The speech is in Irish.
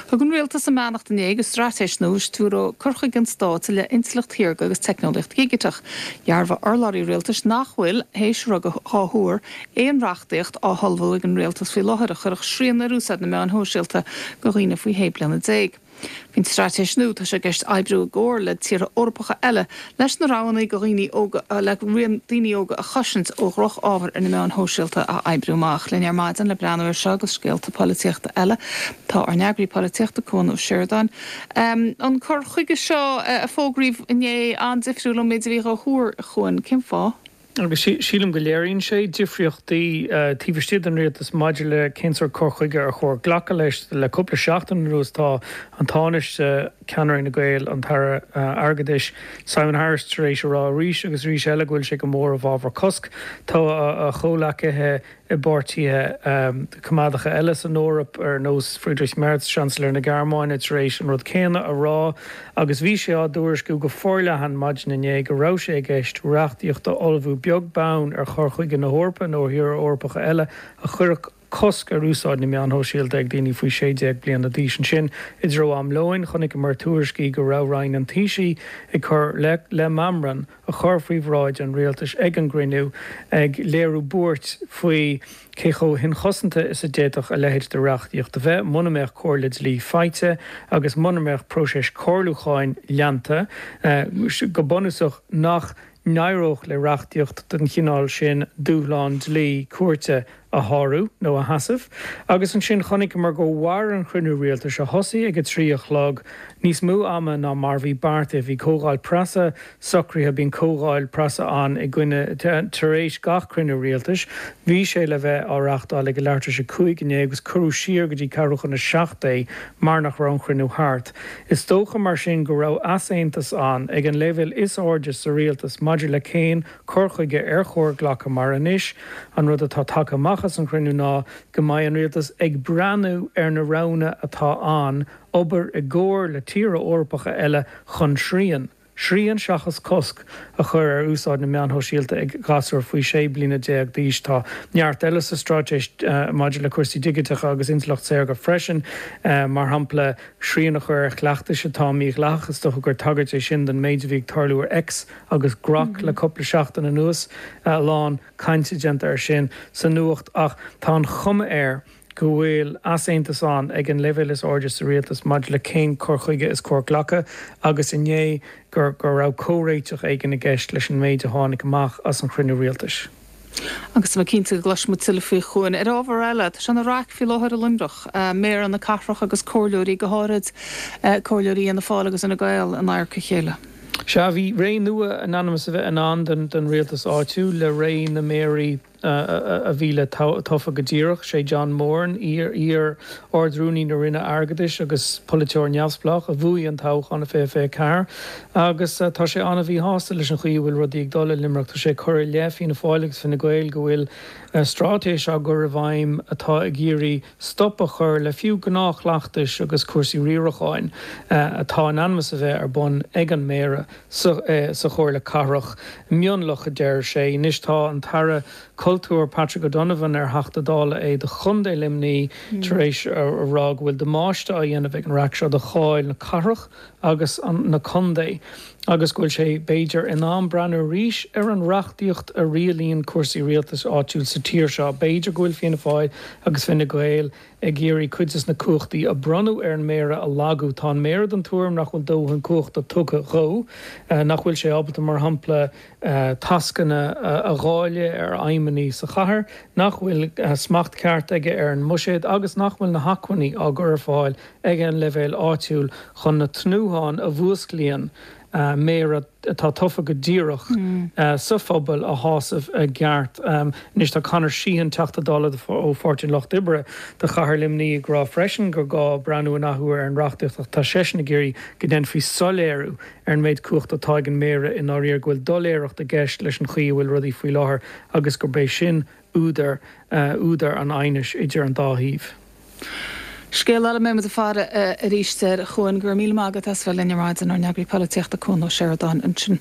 Thug an Rialtas a mbeannacht inné do straitéis nua a stiúróidh cur chuige an stáit i leith intleacht shaorga agus teicneolaíocht dhigiteach. Dhearbhaigh urlabhraí rialtais nach bhfuil, théis rud á thuar, aon reachtaíocht á hullmhú ag an Rialtas faoi láthair a chuirfeadh srian ar úsáid na meáin shóisialta do dhaoine faoi 16 bliana. Faoin straitéis nua, tá sé i gceist oibriú i gcomhar le tíortha Eorpacha eile leis na roghanna do dhaoine óga le daoine óga a chosaint ó dhroch-ábhar ar na meáin shóisialta a oibriú amach. Linn ar maidin le breathnú air seo agus scéalta polaitíochta eile tá ár n-eagraí polaitíochta, Cuan Ó Seireadáin. An cur chuige seo a fógraíodh inné an-difriúil ón méid a bhí á thuar, a Chuain. Cén fáth? Agus sílim go léiríonn sé difríochtaí taobh istigh den rialtas maidir le cén sórt cur chuige ar chóir glacadh leis. Le cúpla seachtain anuas tá an Tánaiste, ceannaire Fhine Gael, an tAire Airgeadais, Simon Harris tar éis a rá arís agus arís eile go bhfuil sé go mór i bhfabhar cosc. Tá a chomhleacaithe i bpáirtithe coimeádacha eile san Eoraip, ar nós Friedrich Merz, Seansailéir na Gearmáine, tar éis an rud céanna a rá agus bhí sé á dtuairisciú go forleathan maidin inné go raibh sé i gceist reachtaíocht a ullmhú beag beann ar chur chuige na hEorpa nó ar thíortha Eorpacha eile a chuirfeadh cosc ar úsáid na meán shóisialta ag daoine faoi 16 bliana d'aois. Ansin, i dtreo am lóin, chonaiceamar tuairiscí go raibh Roinn an Taoisigh ag cur le meamram a chur faoi bhráid an rialtais ag an gcruinniú, ag léiriú buairt faoi cé chomh hinchosanta is a d'fhéadfadh a leithéid de reachtaíocht a bheith muna mbeadh comhairle dlí faighte agus muna mbeadh próiseas comhairliúcháin leanta, go bunúsach nach n-éireodh le reachtaíocht den chineál sin dúshlán dlí cúirte a shárú nó a sheasamh. Agus ansin chonaiceamar gur mhair an chruinniú rialtais, a thosaigh ag 3 a chlog, níos mó ama ná mar bhí beartaithe. Bhí comhdháil preasa socraithe, bíonn comhdháil preasa ann i gcoinne tar éis gach cruinniú rialtais. Bhí sé le bheith á reachtáil ag a leathuair tar éis a 5 inné agus cuireadh siar go dtí ceathrú chun a 7 é mar nach raibh an chruinniú thart. Is dócha mar sin go raibh easaontas ann ag an leibhéal is airde sa rialtas maidir le cén cur chuige ar chóir glacadh mar anois an rud atá tagtha amach as an chruinniú ná go mbeidh an rialtas ag breathnú ar na roghanna atá ann obair i gcomhar le tíortha Eorpacha eile chun srian, srian seachas cosc, a chur ar úsáid na meán shóisialta ag gasúir faoi 16 bliana d'aois. Tá neart eile sa straitéis maidir le cúrsaí digiteacha agus intleacht saorga freisin, mar shampla srian a chur ar chleachtais atá mídhleathach, is dócha gur tagairt é sin don méid a bhí ag tarlú ar X agus Grok le cúpla seachtain anuas, a lán cainte déanta air sin sa nuacht ach tá an chuma air go bhfuil easaontas ann ag an leibhéal is airde sa rialtas maidir le cén cur chuige is cóir glacadh agus inné go raibh comhréiteach éigin i gceist leis an méid a tháinig amach as an chruinniú rialtais. Agus tá mé cinnte go gcloisfidh muid tuilleadh faoi, a Chuain. Ar ábhar eile, tá sé ina raic faoi láthair i Luimneach, Méara na cathrach agus comhairleoirí, go háirid comhairleoirí Fhianna Fáil agus Fhine Gael, in adharca a chéile. Sea, bhí ré nua in ainm is a bheith i ndán don rialtas áitiúil le ré na méaraí a bhí le tofa go díreach. Sé John Moran, iar-Ard-Rúnaí na Roinne Airgeadais agus polaiteoir neamhspleách, a bhuaigh an toghchán i 2024 agus tá sé an-mhíshásta leis an chaoi a bhfuil rudaí ag dul i Luimneach. Tá sé ag cur i leith Fianna Fáil agus Fine Gael go bhfuil straitéis á gcur i bhfeidhm atá ag iarraidh stop a chur le fiú gnáthchleachtais agus cúrsaí riaracháin atá in ainm is a bheith ar bun ag an Méara sa Chomhairle Cathrach. Mionlach, a deir sé. Anois tá an tAire Cultúir Patrick O'Donovan, ar Theachta Dála é do Chontae Luimnigh, tar éis a rá go bhfuil damáiste á dhéanamh ag an raic seo do cháil na cathrach agus na contae agus go bhfuil sé, b'fhéidir, in am breathnú arís ar an reachtaíocht a rialaíonn cúrsaí rialtais áitiúil sa tír seo. B'fhéidir go bhfuil Fianna Fáil agus Fine Gael ag iarraidh cuid des na cumhachtaí a bronnadh ar an Méara a lagú. Tá an Méara den tuairim nach bhfuil dóthain cumhachta tugtha dhó, nach bhfuil sé ábalta, mar shampla, tascanna a dháileadh ar fheidhmeannaigh sa chathair, nach bhfuil smacht ceart aige ar an mbuiséad agus nach bhfuil na hacmhainní á gcur ar fáil ag an leibhéal áitiúil chun na tnútháin a mhúsclaíonn méara atá tofa go díreach sa phobal a shásamh i gceart. Anois tá Conor Sheehan, Teachta Dála ó Pháirtí an Lucht Oibre do Chathair Luimnigh ag rá freisin gur gá breathnú an athuair ar an reachtaíocht ach tá seisean ag iarraidh go ndéanfaí soiléiriú ar an méid cumhachta atá ag an Méara i ndáiríre, go bhfuil doiléireacht i gceist leis an chaoi a bhfuil rudaí faoi láthair agus gurb é sin údar údar an aighnis idir an dá thaobh. Scéal eile, beidh muid ag faire arís air, a Chuain. Go raibh míle maith agat as bheith linn ar maidin, ár n-eagraí polaitíochta Cuan Ó Seireadáin ansin.